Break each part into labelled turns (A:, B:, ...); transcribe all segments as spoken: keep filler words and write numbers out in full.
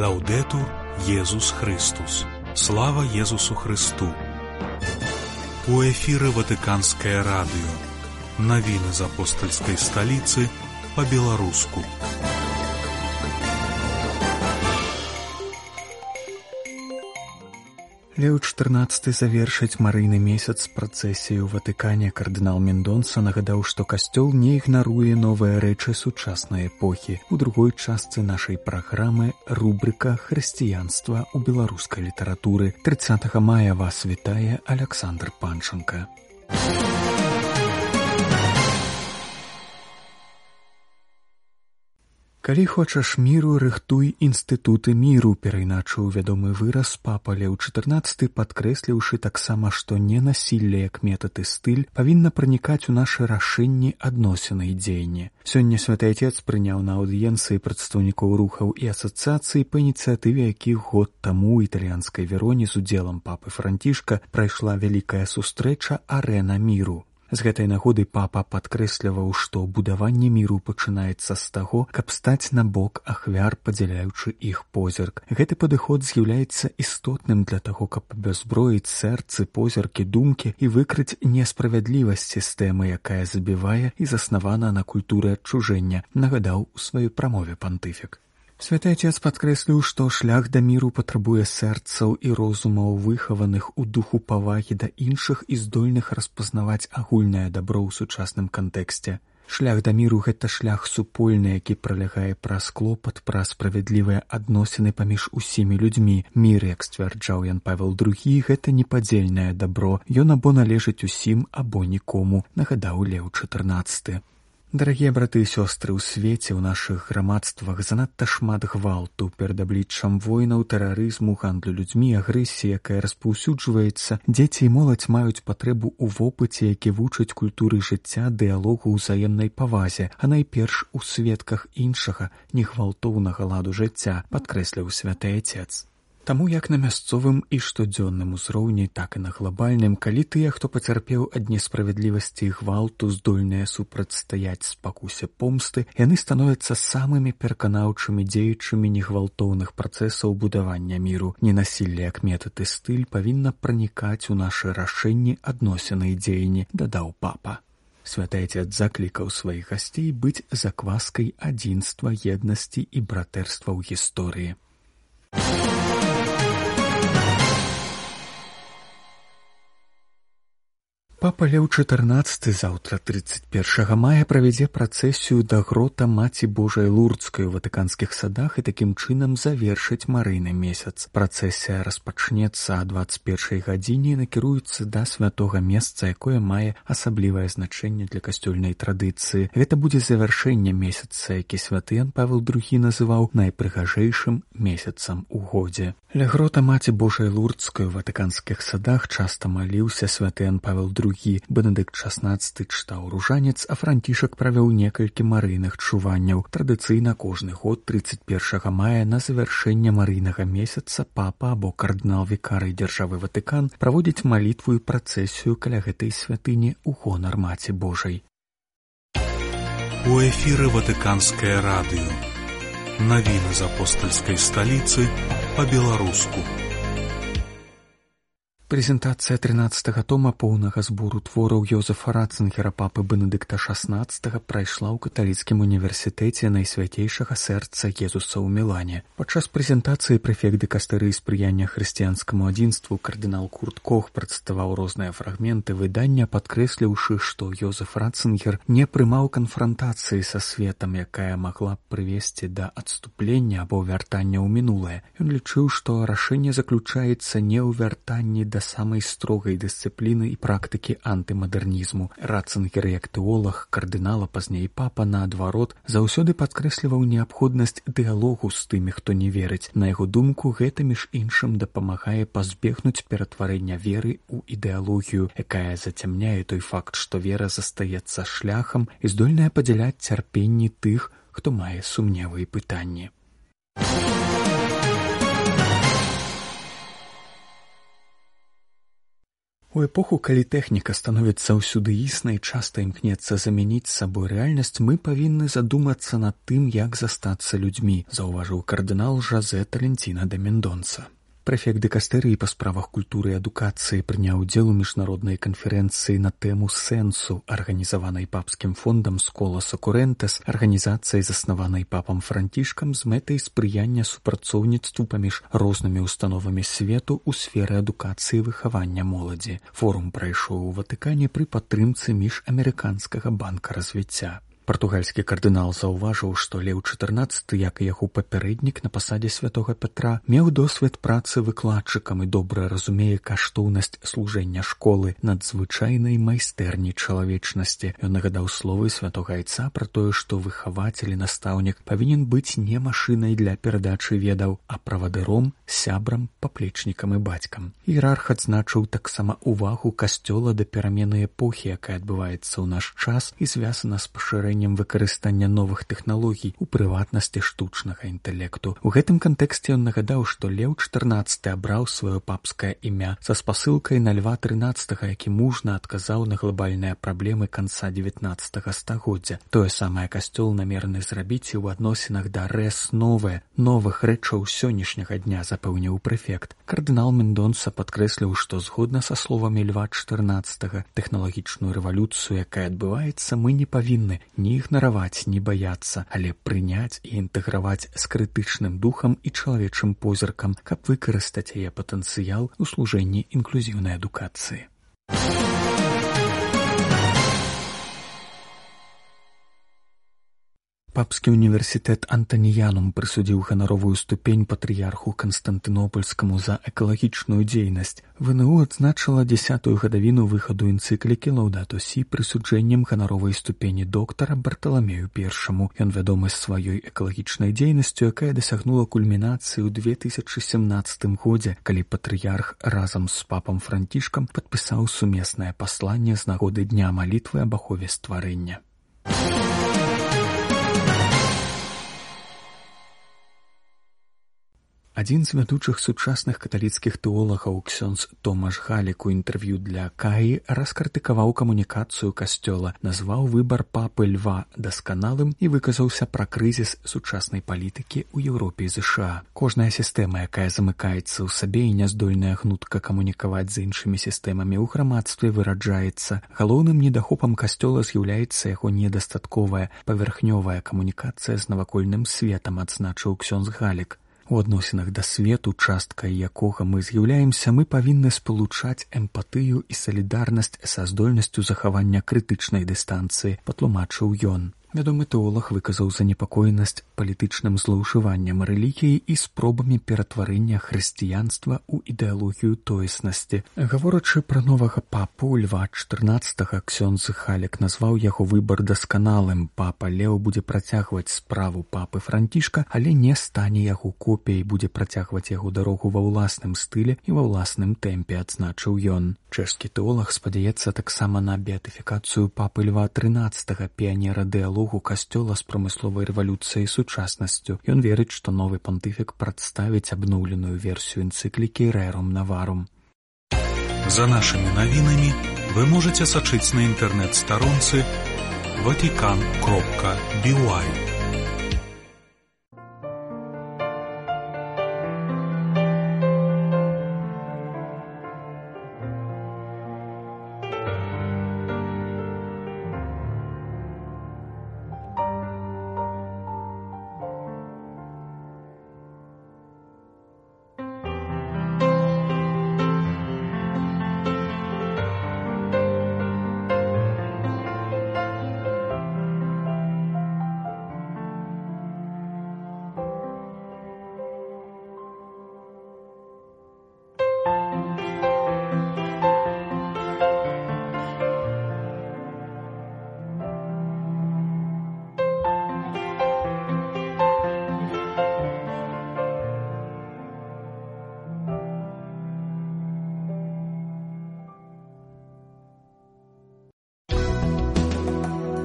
A: Лаўдэтур Езус Христус. Слава Езусу Христу. У эфіры Ватыканскае радыё. Навіны з апостальскай сталіцы па-беларуску. Леў чатырнаццаты завершыць марыйны месяц працэсіі ў Ватыкане. Кардынал Мендонса нагадаў, што касцёл не ігнаруе новыя рэчы сучаснай эпохі. У другой частцы нашай праграмы рубрыка «Хрысціянства ў беларускай літаратуры». трыццатага мая вас вітае Аляксандр Панченка. Калі хочаш міру, рыхтуй інстытуты міру, перайначыў вядомы выраз папа Леў чатырнаццаты, падкрэсліўшы таксама, што ненасілле як метад і стыль павінна пранікаць у нашы рашэнні, адносіны і дзеянні. Сёння Святы Отец прыняў на аўдыенцыі прадстаўнікоў рухаў і асацыяцый, па ініцыятыве якіх год таму ў італьянскай Вероне з удзелам папы Францішка прайшла вялікая сустрэча «Арэна міру». З гэтай нагоды папа падкрэсліваў, што будаванне міру пачынаецца з таго, каб стаць на бок ахвяр, падзяляючы іх позірк. Гэты падыход з'яўляецца істотным для таго, каб абязброіць сэрцы, позіркі, думкі і выкрыць несправядлівасць сістэмы, якая забівае і заснавана на культуры адчужэння, нагадаў у сваёй прамове пантыфік. Святы Отец падкрэсліў, што шлях да міру патрабуе сэрцаў і розумаў, выхаваных у духу павагі да іншых і здольных распазнаваць агульнае дабро ў сучасным кантэксце. Шлях да міру — гэта шлях супольны, які пралягае праз клопат, праз справядлівыя адносіны паміж усімі людзьмі. Мір, як сцвярджаў Ян Павел другі, гэта непадзельнае дабро. Ён або належыць усім, або нікому, нагадаў Леў чатырнаццаты. Дарагія браты і сёстры, у свеце, у нашых грамадствах занадта шмат гвалту перад абліччам войнаў, тэрарызму, гандлю людзьмі, агрэсіі, якая распаўсюджваецца. Дзеці і моладзь маюць патрэбу ў вопыце, які вучыць культуры жыцця, дыялогу, узаемнай павазе, а найперш у сведках іншага, негвалтоўнага ладу жыцця, падкрэсліў Святы Отец. Таму як на мясцовым і штодзённым узроўні, так і на глобальным, калі тыя, хто пацярпеў ад несправядлівасці і гвалту, здольныя супрацьстаяць спакусе помсты, яны становяцца самымі пераканаўчымі дзеячамі негвалтоўных працэсаў будавання міру. Ненасілле як метад і стыль павінна пранікаць у нашы рашэнні, адносіны і дзеянні, дадаў папа. Святы Отец заклікаў сваіх гасцей быць закваскай адзінства, еднасці і братэрства ў гісторыі. Папа Леў чатырнаццаты заўтра, трыццаць першага мая, правядзе працэсію да грота Маці Божай Лурдскай у ватыканскіх садах і такім чынам завершыць марыйны месяц. Працэсія распачнецца а дваццаць першай гадзіне і накіруецца да святога месца, якое мае асаблівае значэнне для касцёльнай традыцыі. Гэта будзе завяршэнне месяца, які святы Ян Павел другі называў найпрыгажэйшым месяцам у годзе. Ля грота Маці Божай Лурдскай у ватыканскіх садах часта маліўся святы Ян Павел другі. Бенедыкт шаснаццаты чытаў ружанец, а Францішак правёў некалькі марыйных чуванняў. Традыцыйна кожны год трыццаць першага мая на завяршэнне марыйнага месяца папа або кардынал-вікарый дзяржавы Ватыкан праводзіць малітву і працэсію каля гэтай святыні ў гонар Маці Божай. У эфіры Ватыканскае радыё. Навіны з апостальскай сталіцы па-беларуску. Прэзентацыя трынаццатага тома поўнага збору твораў Йозефа Ратцынгера папы Бенедыкта шаснаццатага прайшла ў каталіцкім універсітэце Найсвятейшага сэрца Езуса ў Мілане. Падчас прэзентацыі прэфект дыкастэрыі спрыяння хрысціянскаму адзінству кардынал Курт Кох прадставаў розныя фрагменты выдання, падкрэсліўшы, што Йозеф Ратцынгер не прымаў канфрантацыі са светам, якая магла б прывесці да адступлення або вяртання ў мінулае. Ён лічыў, што рашэнне заключаецца не ў вяртанні да самай строгай дысцыпліны і практыкі антымадэрнізму. Ратцынгер, як тэолаг, кардынала, пазней папа, наадварот, заўсёды падкрэсліваў неабходнасць дыялогу з тымі, хто не верыць. На яго думку, гэта між іншым дапамагае пазбегнуць ператварэння веры ў ідэалогію, якая зацямняе той факт, што вера застаецца шляхам і здольная падзяляць цярпенні тых, хто мае сумневы і пытанні. У эпоху, калі тэхніка становіцца ўсюды існай, часта імкнецца замяніць сабой рэальнасць, мы павінны задумацца над тым, як застацца людзьмі, заўважыў кардынал Жозе Толенціна де Мендонса. Прэфект дыкастэрыі па справах культуры і адукацыі прыняў удзел у міжнароднай канферэнцыі на тэму сэнсу, арганізаванай папскім фондам Сколас Окурентес, арганізацыяй, заснаванай папам Францішкам з мэтай спрыяння супрацоўніцтву паміж рознымі установамі свету ў сферы адукацыі і выхавання моладзі. Форум прайшоў у Ватыкане пры падтрымцы міжамерыканскага банка развіцця. Партугальскі кардынал заўважыў, што Леў чатырнаццаты, як і яго папярэднік на пасадзе святога Пятра, меў досвед працы выкладчыкам і добра разумее каштоўнасць служэння школы, надзвычайнай майстэрні чалавечнасці. Ён нагадаў словы святога Айца пра тое, што выхавацель і настаўнік павінен быць не машынай для перадачы ведаў, а правадыром, сябрам, паплечнікам і бацькам. Іерарх адзначыў таксама увагу касцёла да перамены эпохі, якая адбываецца ў наш час і звязана з пашырэннем выкарыстання новых тэхналогій, у прыватнасці штучнага інтэлекту. У гэтым кантэксце ён нагадаў, што Леў чатырнаццаты абраў сваё папскае імя са спасылкай на Льва трынаццатага, які мужна адказаў на глобальныя праблемы канца дзевятнаццатага стагоддзя. Тое самае касцёл намераны зрабіць і ў адносінах да рэс новае, новых рэчаў сённяшняга дня, запэўніў прэфект. Кардынал Мендонса падкрэсліў, што згодна са словамі Льва чатырнаццатага, тэхналагічную рэвалюцыю, якая адбываецца, мы не павінны не ігнараваць, не баяцца, але прыняць і інтэграваць з крытычным духам і чалавечым позіркам, каб выкарыстаць яе патэнцыял у служэнні інклюзіўнай адукацыі. Папскі універсітэт Антаніянум прысудзіў ганаровую ступень патрыярху Канстантынопольскаму за экалагічную дзейнасць. ВНУ адзначыла дзесятую гадавіну выхаду энцыклікі Лаўдато Сі прысуджэннем ганаровай ступені доктара Барталамею Першаму. Ён вядомы сваёй экалагічнай дзейнасцю, якая дасягнула кульмінацыі ў две тысячы сямнаццатым годзе, калі патрыярх разам з папам Францішкам падпісаў сумеснае пасланне з нагоды дня малітвы аб ахове стварэння. Адзін з вядучых сучасных каталіцкіх тэолагаў, ксёндз Томаш Галік, у інтэрв'ю для Каі раскрытыкаваў камунікацыю касцёла, назваў выбар папы Льва дасканалым і выказаўся пра крызіс сучаснай палітыкі ў Еўропе і ЗША. Кожная сістэма, якая замыкаецца ў сабе і няздольная гнутка камунікаваць з іншымі сістэмамі ў грамадстве, выраджаецца. Галоўным недахопам касцёла з'яўляецца яго недастатковая, павярхнёвая камунікацыя з навакольным светам, адзначыў ксёндз Галік. У адносінах да свету, часткай якога мы з'яўляемся, мы павінны спалучаць эмпатыю і салідарнасць са здольнасцю захавання крытычнай дыстанцыі, патлумачыў ён. Вядомы тэолаг выказаў занепакоенасць палітычным злоўжываннем рэлігіі і спробамі ператварэння хрысціянства ў ідэалогію тоеснасці. Гаворачы пра новага папу Льва чатырнаццатага, ксёндз Галік назваў яго выбар дасканалым. Папа Леў будзе працягваць справу папы Францішка, але не стане яго копіяй, будзе працягваць яго дарогу ва ўласным стылі і ва ўласным тэмпе, адзначыў ён. Чэшскі тэолаг спадзяецца таксама на беатыфікацыю папы Льва трынаццатага, піянера дыялогу касцёла з прамысловай рэвалюцыяй і сучаснасцю. Ён верыць, што новы пантыфік прадставіць абноўленую версію энцыклікі Рэрум Наварум.
B: За нашымі навінамі вы можаце сачыць на інтэрнэт-старонцы ватикан кропка би уай.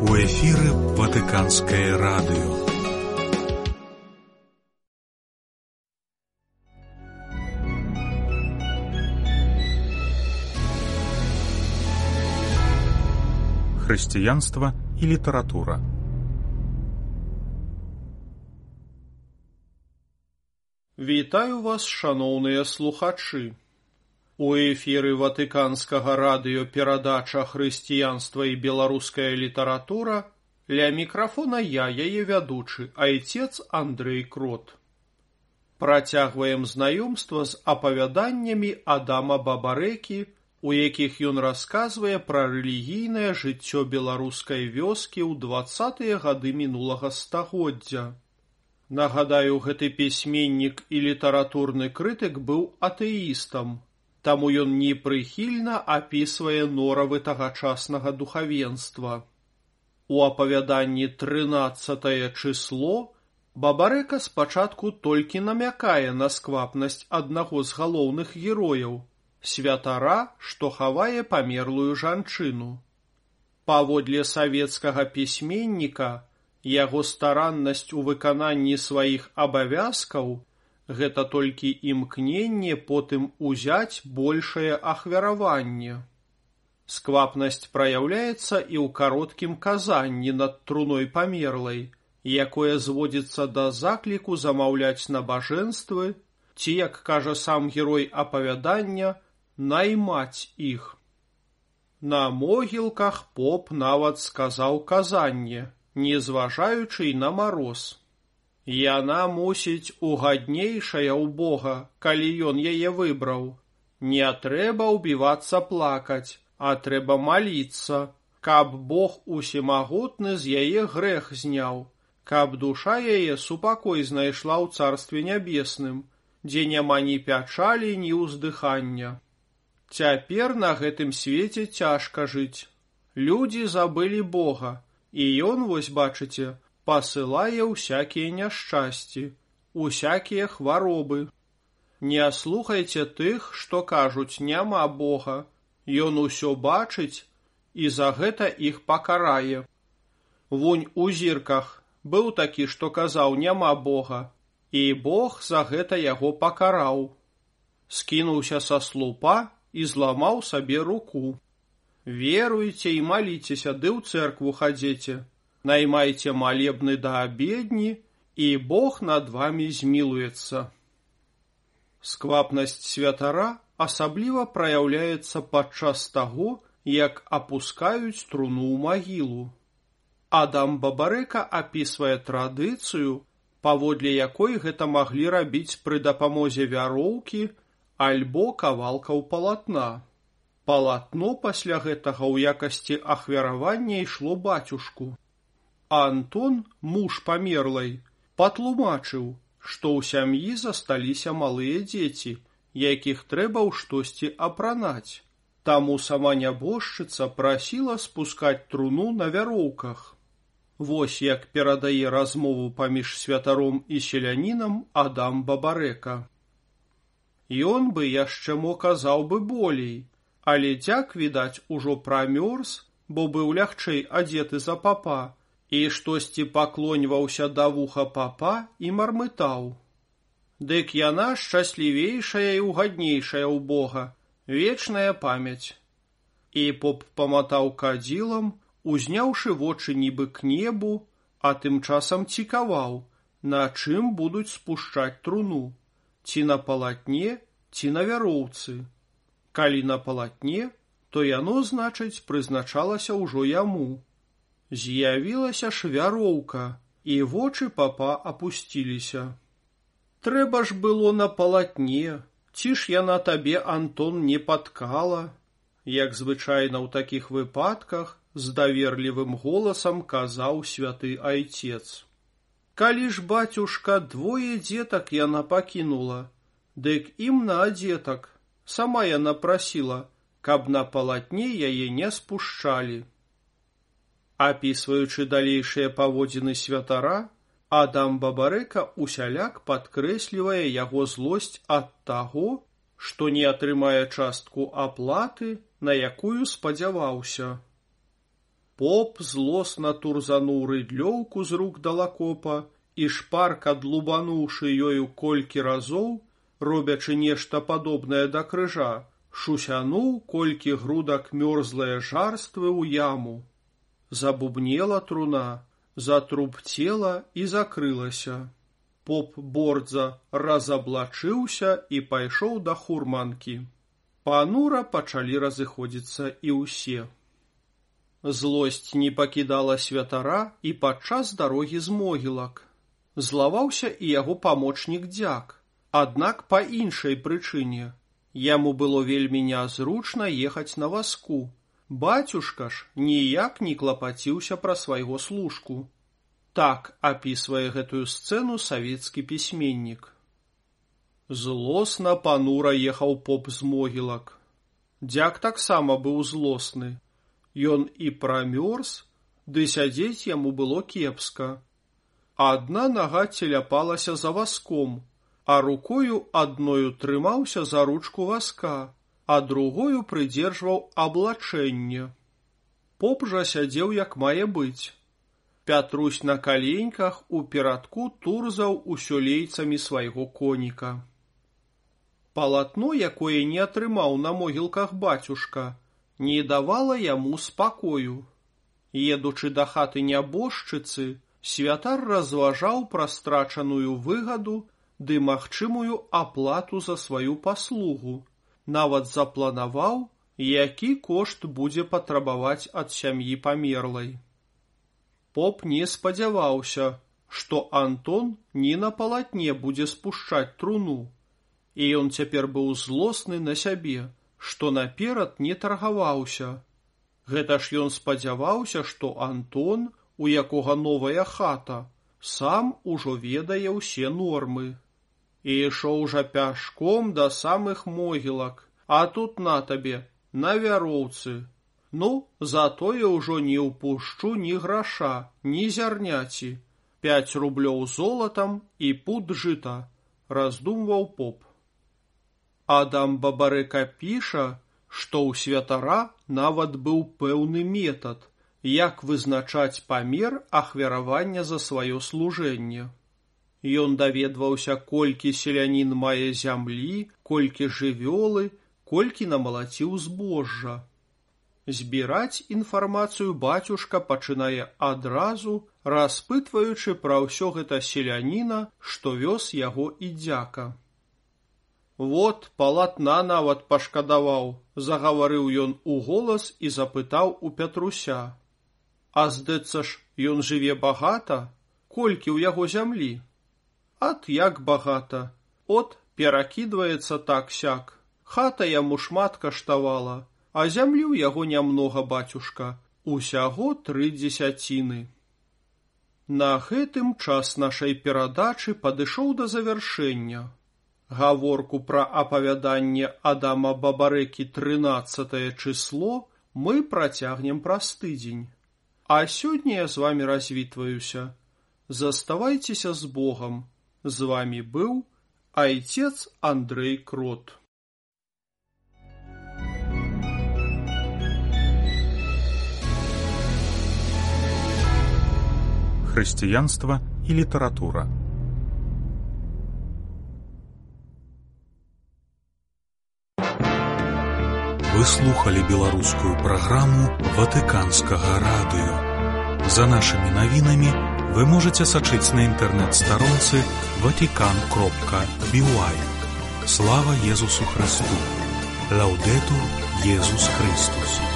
B: У эфіры Ватыканскае радыё. хрысціянства і літаратура.
C: Вітаю вас, шаноўныя слухачы. У эфіры Ватыканскага радыё перадача «Хрысціянства і беларуская літаратура». Ля мікрафона я, яе вядучы, айцец Андрэй Крот. Працягваем знаёмства з апавяданнямі Адама Бабарэкі, у якіх ён расказвае пра рэлігійнае жыццё беларускай вёскі ў дваццатыя гады мінулага стагоддзя. Нагадаю, гэты пісьменнік і літаратурны крытык быў атэістам, таму ён непрыхільна апісвае норавы тагачаснага духавенства. У апавяданні трынаццатае чысло Бабарэка спачатку толькі намякае на сквапнасць аднаго з галоўных герояў, святара, што хавае памерлую жанчыну. Паводле савецкага пісьменніка, яго стараннасць у выкананні сваіх абавязкаў – гэта толькі імкненне потым узяць большае ахвяраванне. Сквапнасць праяўляецца і ў кароткім казанні над труной памерлай, якое зводзіцца да закліку замаўляць набажэнствы, ці, як кажа сам герой апавядання, наймаць іх. На могілках поп нават сказаў казанне, не зважаючы на мароз. Яна мусіць угаднейшая ў Бога, калі ён яе выбраў. Не трэба ўбівацца плакаць, а трэба маліцца, каб Бог усемагутны з яе грэх зняў, каб душа яе супакой знайшла ў царстве нябесным, дзе няма ні пячалі, ні ўздыхання. Цяпер на гэтым свеце цяжка жыць. Людзі забылі Бога, і ён, вось бачыце, пасылае ўсякія няшчасці, усякія хваробы. Не слухайце тых, што кажуць, няма Бога. Ён усё бачыць, і за гэта іх пакарае. Вунь у зірках быў такі, што казаў, няма Бога, і Бог за гэта яго пакараў. Скінуўся са слупа і зламаў сабе руку. Веруйце і маліцеся, ды ў цэркву хадзеце. Наймайце малебны да абедні, і Бог над вамі змілуецца. Сквапнасць святара асабліва праяўляецца падчас таго, як апускаюць труну ў магілу. Адам Бабарэка апісвае традыцыю, паводле якой гэта маглі рабіць пры дапамозе вяроўкі альбо кавалкаў палатна. Палатно пасля гэтага ў якасці ахвяравання ішло бацюшку. Антон, муж памерлай, патлумачыў, што ў сям'і засталіся малыя дзеці, якіх трэба ў штосьці апранаць. Таму сама нябожчыца прасіла спускаць труну на вяроўках. Вось як перадае размову паміж святаром і селянінам Адам Бабарэка. Ён бы яшчэ мо казаў бы болей, але дзяк, відаць, ужо прамёрз, бо быў лягчэй адзеты за папа, і штосьці паклоньваўся да вуха папа і мармытаў. Дык яна шчаслівейшая і угаднейшая ў Бога, вечная памяць. І поп паматаў кадзілам, узняўшы вочы нібы к небу, а тым часам цікаваў, на чым будуць спушчаць труну, ці на палатне, ці на вяроўцы. Калі на палатне, то яно, значыць, прызначалася ўжо яму. З'явілася ж вяроўка, і вочы папа апусціліся. Трэба ж было на палатне, ці ж яна табе, Антон, не паткала? Як звычайна ў такіх выпадках, з даверлівым голасам казаў святы айцец. Калі ж, бацюшка, двое дзетак яна пакінула, дык ім на адзетак, сама яна прасіла, каб на палатне яе не спушчалі. Апісваючы далейшыя паводзіны святара, Адам Бабарэка усяляк падкрэслівае яго злосць ад таго, што не атрымае частку аплаты, на якую спадзяваўся. Поп злосна турзануў рыдлёўку з рук далакопа і шпарка длубануўшы ёю колькі разоў, робячы нешта падобнае да крыжа, шусянуў колькі грудак мёрзлае жарствы ў яму. Забубнела труна, затрубцела і закрылася. Поп Бордза разаблачыўся і пайшоў да хурманкі. Панура пачалі разыходзіцца і ўсе. Злосць не пакідала святара і падчас дарогі з могілак. Злаваўся і яго памочнік Дзяк, аднак па іншай прычыне. Яму было вельмі нязручна ехаць на вазку. Бацюшка ж ніяк не клапаціўся пра свайго служку. Так апісвае гэтую сцэну савецкі пісьменнік. Злосна панура ехаў поп з могілак. Дзяк таксама быў злосны. Ён і прамёрз, ды сядзець яму было кепска. Адна нага целяпалася за вазком, а рукою адною трымаўся за ручку вазка, а другою прыдзержваў аблачэнне. Поп жа сядзеў як мае быць. Пятрусь на каленьках у перадку турзаў усё лейцамі свайго коніка. Палатно, якое не атрымаў на могілках бацюшка, не давала яму спакою. Едучы да хаты нябожчыцы, святар разважаў пра страчаную выгаду ды магчымую аплату за сваю паслугу. Нават запланаваў, які кошт будзе патрабаваць ад сям'і памерлай. Поп не спадзяваўся, што Антон не на палатне будзе спушчаць труну, і ён цяпер быў злосны на сябе, што наперад не таргаваўся. Гэта ж ён спадзяваўся, што Антон, у якога новая хата, сам ужо ведае ўсе нормы. І ішоў жа пяшком да самых могілак, а тут на табе, на вяроўцы. Ну, затое ўжо не ўпушчу ні граша, ні зярняці. Пяць рублёў золатам і пуд жыта, раздумваў поп. Адам Бабарэка піша, што ў святара нават быў пэўны метад, як вызначаць памер ахвяравання за сваё служэнне. Ён даведваўся, колькі селянін мае зямлі, колькі жывёлы, колькі намалаціў збожжа. Збіраць інфармацыю бацюшка пачынае адразу, распытваючы пра ўсё гэта селяніна, што вёз яго і Дзяка. Вот, палатна нават пашкадаваў, загаварыў ён уголас і запытаў у Пятруся. А здаецца ж, ён жыве багата? Колькі ў яго зямлі? Ат як багата. От, перакідваецца так-сяк. Хата яму шмат каштавала, а зямлі ў яго нямнога, бацюшка, усяго тры дзесяціны. На гэтым час нашай перадачы падышоў да завяршэння. Гаворку пра апавяданне Адама Бабарэкі трынаццатае чысло мы працягнем праз тыдзень. А сёння я з вамі развітваюся. Заставайцеся з Богам. З вамі быў айцец Андрэй Крот.
B: Хрысціянства і літаратура. Вы слухали беларускую праграму Ватыканскага радыё. За нашымі навінамі вы можаце сачыць на інтэрнэт-старонцы ватикан кропка би уай. Слава Езусу Христу! Лаўдэтур Езус Христус!